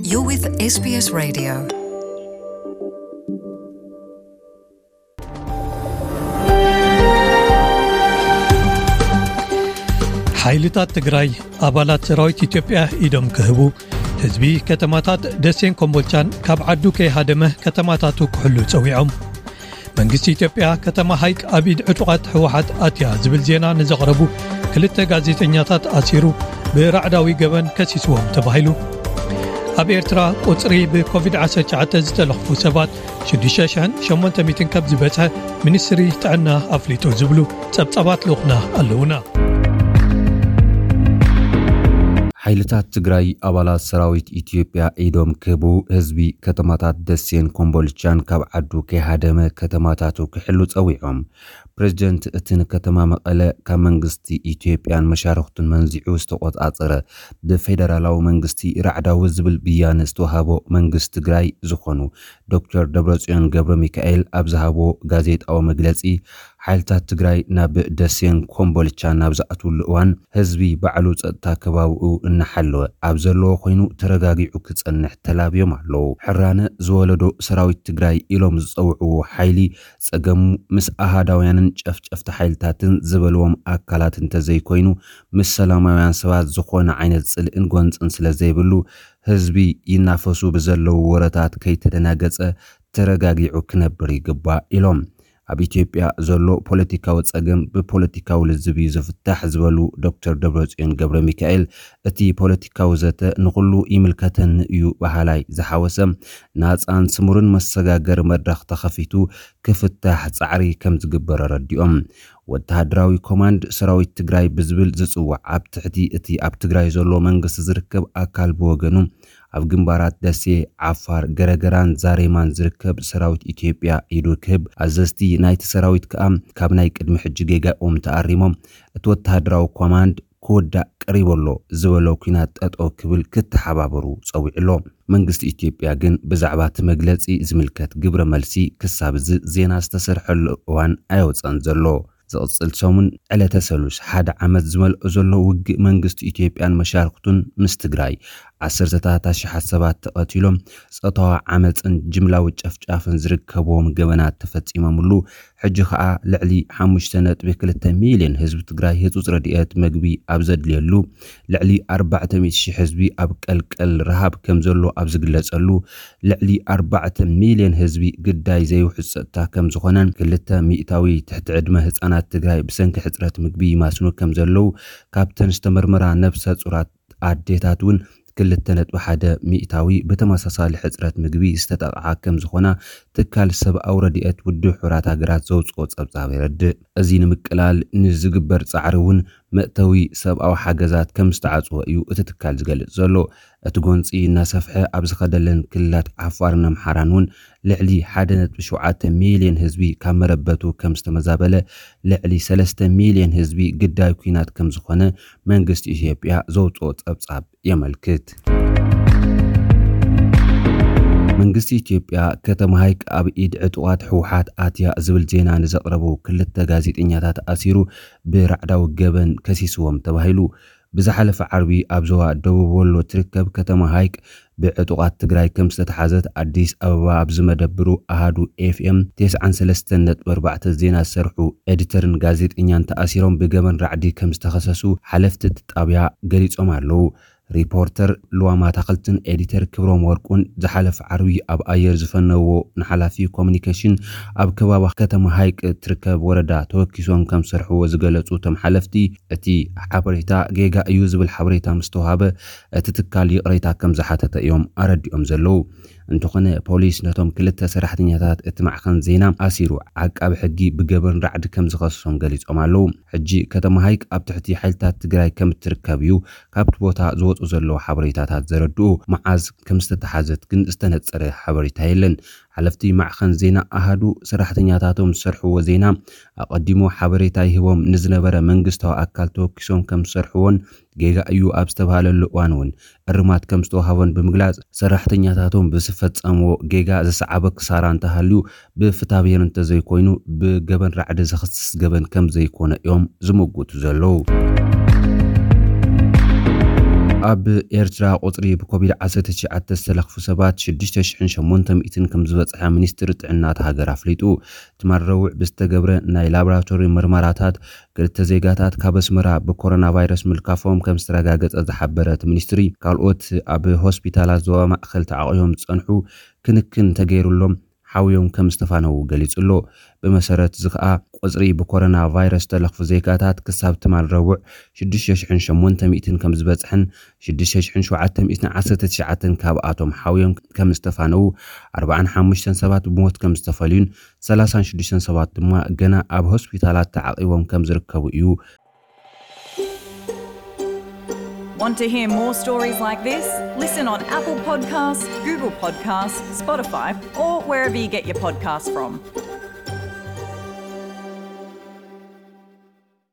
You're with S B S Radio. ሓይልታት ትግራይ ኣባላት ሰራዊት ኢትዮጵያ ኢዶም ክህቡ፣ ህዝቢ ከተማታት ደሴን ኮምቦልቻን ካብ ዓዱ ከይሃደመ ከተማታቱ ክሕሉ ጸዊዖም። መንግስቲ ኢትዮጵያ ከተማ ሃይቅ ኣብ ኢድ ዕጡቓት ህወሓት ኣትያ ዝብል ዜና ንዘቕረቡ ክልተ ጋዜጠኛታት ኣሲሩ ብራዕዳዊ ገበን ከሲስዎም ተባሂሉ። ኣብ ኤርትራ ቁጽሪ ብኮቪድ ዓሰርተ ትሽዓተ ዝተለኽፉ ሰባት ሽዱሽተ ሽሕን ሸሞንተ ሚእትን ከም ዝበጽሐ ሚኒስትሪ ጥዕና ኣፍሊጡ ዝብሉ ጸብጻባት ልኡኽና ኣለዉና። ሓይልታት ትግራይ ኣባላት ሰራዊት ኢትዮጵያ ኢዶም ክህቡ ህዝቢ ከተማታት ደሴን ኮምቦልቻን ካብ ዓዱ ከይሃደመ ከተማታቱ ክሕሉ ጸዊዖም። ፕሬዚደንት እቲ ንከተማ መቐለ ካብ መንግስቲ ኢትዮጵያን መሻርኽቱን መንዚዑ ዝተቆጻጸረ ብፌደራላዊ መንግስቲ ራዕዳዊ ዝብል ብያነ ዝተዋህቦ መንግስቲ ትግራይ ዝኾኑ ዶክተር ደብረጽዮን ገብረ ሚካኤል ኣብ ዝሃቦ ጋዜጣዊ መግለጺ፣ ሓይልታት ትግራይ ናብ ደሴን ኮምቦልቻ ናብ ዝኣትውሉ እዋን ህዝቢ ባዕሉ ጸጥታ ከባቢኡ እናሓለወ ኣብ ዘለዎ ኮይኑ ተረጋጊዑ ክጸንሕ ተላብዮም ኣለዉ። ሕራነ ዝወለዶ ሰራዊት ትግራይ ኢሎም ዝጸውዕዎ ሓይሊ ጸገሙ ምስ ኣሃዳውያንን ጨፍጨፍቲ ሓይልታትን ዝበልዎም ኣካላት እንተዘይኮይኑ ምስ ሰላማውያን ሰባት ዝኾነ ዓይነት ጽልእን ጎንጽን ስለ ዘይብሉ ህዝቢ ይናፈሱ ብዘለዉ ወረታት ከይተደናገጸ ተረጋጊዑ ክነብር ይግባእ ኢሎም። ኣብ ኢትዮጵያ ዘሎ ፖለቲካዊ ጸገም ብፖለቲካዊ ልዝብ እዩ ዝፍታሕ ዝበሉ ዶክተር ደብረጽዮን ገብረ ሚካኤል፣ እቲ ፖለቲካዊ ዘተ ንኹሉ ይምልከተኒ እዩ በሃላይ ዝሓወሰ ናጻን ስሙርን መሰጋገሪ መድረኽ ተኸፊቱ ክፍታሕ ጻዕሪ ከም ዝግበር ኣረዲኦም። ወተሃደራዊ ኮማንድ ሰራዊት ትግራይ ብዝብል ዝጽዋዕ ኣብ ትሕቲ እቲ ኣብ ትግራይ ዘሎ መንግስቲ ዝርከብ ኣካል ብወገኑ ኣብ ግንባራት ደሴ፣ ዓፋር፣ ገረገራን ዛሬማን ዝርከብ ሰራዊት ኢትዮጵያ ኢዱ ክህብ፣ ኣዘዝቲ ናይቲ ሰራዊት ከኣ ካብ ናይ ቅድሚ ሕጂ ጌጋኦም ተኣሪሞም እቲ ወተሃደራዊ ኮማንድ ክውዳእ ቀሪቡ ኣሎ ዝበሎ ኲናት ጠጠው ክብል ክተሓባበሩ ጸዊዑ ኣሎ። መንግስቲ ኢትዮጵያ ግን ብዛዕባ እቲ መግለጺ ዝምልከት ግብረ መልሲ ክሳብ እዚ ዜና ዝተሰርሐሉ እዋን ኣየውጸን ዘሎ። ዝቕጽል ሰሙን ዕለተ ሰሉስ ሓደ ዓመት ዝመልኦ ዘሎ ውግእ መንግስቲ ኢትዮጵያን መሻርክቱን ምስ ትግራይ ዓሰርተታት ኣሽሓት ሰባት ተቐቲሎም፣ ጾታዊ ዓመጽን ጅምላዊ ጨፍጫፍን ዝርከብዎም ገበናት ተፈጺሞምሉ፣ ሕጂ ኸኣ ልዕሊ ሓሙሽተ ነጥቢ ክልተ ሚልዮን ህዝቢ ትግራይ ህጹጽ ረድኤት መግቢ ኣብ ዘድልየሉ፣ ልዕሊ ኣርባዕተ ሚእቲ ሺሕ ህዝቢ ኣብ ቀልቀል ረሃብ ከም ዘሎ ኣብ ዝግለጸሉ፣ ልዕሊ ኣርባዕተ ሚልዮን ህዝቢ ግዳይ ዘይውሕዝ ጸጥታ ከም ዝኾነን ክልተ ሚእታዊ ትሕቲ ዕድመ ህጻናት ትግራይ ብሰንኪ ሕጽረት ምግቢ ይማስኑ ከም ዘለዉ ካብተን ዝተመርመራ ነብሰ ጹራት ኣዴታት እውን ክልተ ነጥቢ ሓደ ሚእታዊ ብተመሳሳሊ ሕጽረት ምግቢ ዝተጠቕዓ ከም ዝኾና ትካል ሰብኣዊ ረድኤት ውድብ ሕቡራት ሃገራት ዘውጽኦ ጸብጻብ የረድእ። እዚ ንምቅላል ንዝግበር ጻዕሪ እውን መእተዊ ሰብኣዊ ሓገዛት ከም ዝተዓጽወ እዩ እቲ ትካል ዝገልጽ ዘሎ። እቲ ጎንጺ እናሰፍሐ ኣብ ዝኸደለን ክልላት ዓፋርን ኣምሓራን እውን ልዕሊ ሓደ ነጥቢ ሸውዓተ ሚልዮን ህዝቢ ካብ መረበቱ ከም ዝተመዛበለ፣ ልዕሊ ሰለስተ ሚልዮን ህዝቢ ግዳይ ኲናት ከም ዝኾነ መንግስቲ ኢትዮጵያ ዘውጽኦ ጸብጻብ የመልክት። መንግስቲ ኢትዮጵያ ከተማ ሃይቅ ኣብ ኢድ ዕጡቓት ህወሓት ኣትያ ዝብል ዜና ንዘቕረቡ ክልተ ጋዜጠኛታት ኣሲሩ ብራዕዳዊ ገበን ከሲስዎም ተባሂሉ። ብዝሓለፈ ዓርቢ ኣብ ዞባ ደቡብ ወሎ ትርከብ ከተማ ሃይቅ ብዕጡቓት ትግራይ ከም ዝተተሓዘት ኣዲስ ኣበባ ኣብ ዝመደብሩ ኣሃዱ ኤፍኤም ተስዓን ሰለስተን ነጥቢ ኣርባዕተ ዜና ዝሰርሑ ኤዲተርን ጋዜጠኛን ተኣሲሮም ብገበን ራዕዲ ከም ዝተኸሰሱ ሓለፍቲ እቲ ጣብያ ገሊጾም ኣለዉ። ሪፖርተር ልዋም ኣታኽልትን ኤዲተር ክብሮም ወርቁን ዝሓለፈ ዓርቢ ኣብ ኣየር ዝፈነዎ ንሓላፊ ኮሙኒኬሽን ኣብ ከባቢ ከተማ ሃይቅ እትርከብ ወረዳ ተወኪሶም ከም ዝሰርሕዎ ዝገለጹ እቶም ሓለፍቲ፣ እቲ ሓበሬታ ጌጋ እዩ ዝብል ሓበሬታ ምስ ተዋሃበ፣ እቲ ትካል ይቕሬታ ከም ዝሓተተ እዮም ኣረዲኦም ዘለዉ። እንተኾነ፣ ፖሊስ ነቶም ክልተ ሰራሕተኛታት እቲ ማዕኸን ዜና ኣሲሩ፣ ዓቃቢ ሕጊ ብገበን ራዕዲ ከም ዝኸስሶም ገሊጾም ኣለዉ። ሕጂ ከተማ ሃይቅ ኣብ ትሕቲ ሓይልታት ትግራይ ከም እትርከብ እዩ ካብቲ ቦታ ዝወጹ ዘለዉ ሓበሬታታት ዘረድኡ። መዓዝ ከም ዝተተሓዘት ግን ዝተነጸረ ሓበሬታ የለን። ሓለፍቲ ማዕኸን ዜና ኣሃዱ፣ ሰራሕተኛታቶም ዝሰርሕዎ ዜና ኣቐዲሙ ሓበሬታ ይህቦም ንዝነበረ መንግስታዊ ኣካል ተወኪሶም ከም ዝሰርሕዎን ጌጋ እዩ ኣብ ዝተባህለሉ እዋን እውን እርማት ከም ዝተዋህቦን ብምግላጽ፣ ሰራሕተኛታቶም ብዝፈጸምዎ ጌጋ ዝሰዓበ ክሳራ እንተሃልዩ ብፍትሐብሔር እንተዘይኮይኑ ብገበን ራዕዲ ዝኽስስ ገበን ከም ዘይኮነ እዮም ዝምጉቱ ዘለዉ። ኣብ ኤርትራ ቁጽሪ ብኮቪድ ዓሰርተ ትሽዓተ ዝተለኽፉ ሰባት ሽዱሽተ ሽሕን ሸሞንተ ሚእትን ከም ዝበጽሐ ሚኒስትሪ ጥዕና እታ ሃገር ኣፍሊጡ። ትማል ረቡዕ ብዝተገብረ ናይ ላቦራቶሪ ምርመራታት ክልተ ዜጋታት ካብ ኣስመራ ብኮሮና ቫይረስ ምልካፎም ከም ዝተረጋገጸ ዝሓበረ እቲ ሚኒስትሪ፣ ካልኦት ኣብ ሆስፒታላት ዞባ ማእከል ተዓቂቦም ዝጸንሑ ክንክን ተገይሩሎም ሓውዮም ከም ዝተፋነዉ ገሊጹ ኣሎ። ብመሰረት እዚ ከኣ ቁጽሪ ብኮሮና ቫይረስ ዝተለኽፉ ዜጋታት ክሳብ ትማል ረቡዕ ሽዱሽተ ሽሕን ሸሞንተ ሚእትን ከም ዝበጽሐን ሽዱሽተ ሽሕን ሸውዓተ ሚእትን ዓሰርተ ትሽዓተን ካብኣቶም ሓውዮም ከም ዝተፋነዉ፣ ኣርባዓን ሓሙሽተን ሰባት ብሞት ከም ዝተፈልዩን ሰላሳን ሽዱሽተን ሰባት ድማ ገና ኣብ ሆስፒታላት ተዓቂቦም ከም ዝርከቡ እዩ። Want to hear more stories like this? Listen on Apple Podcasts, Google Podcasts, Spotify, or wherever you get your podcasts from.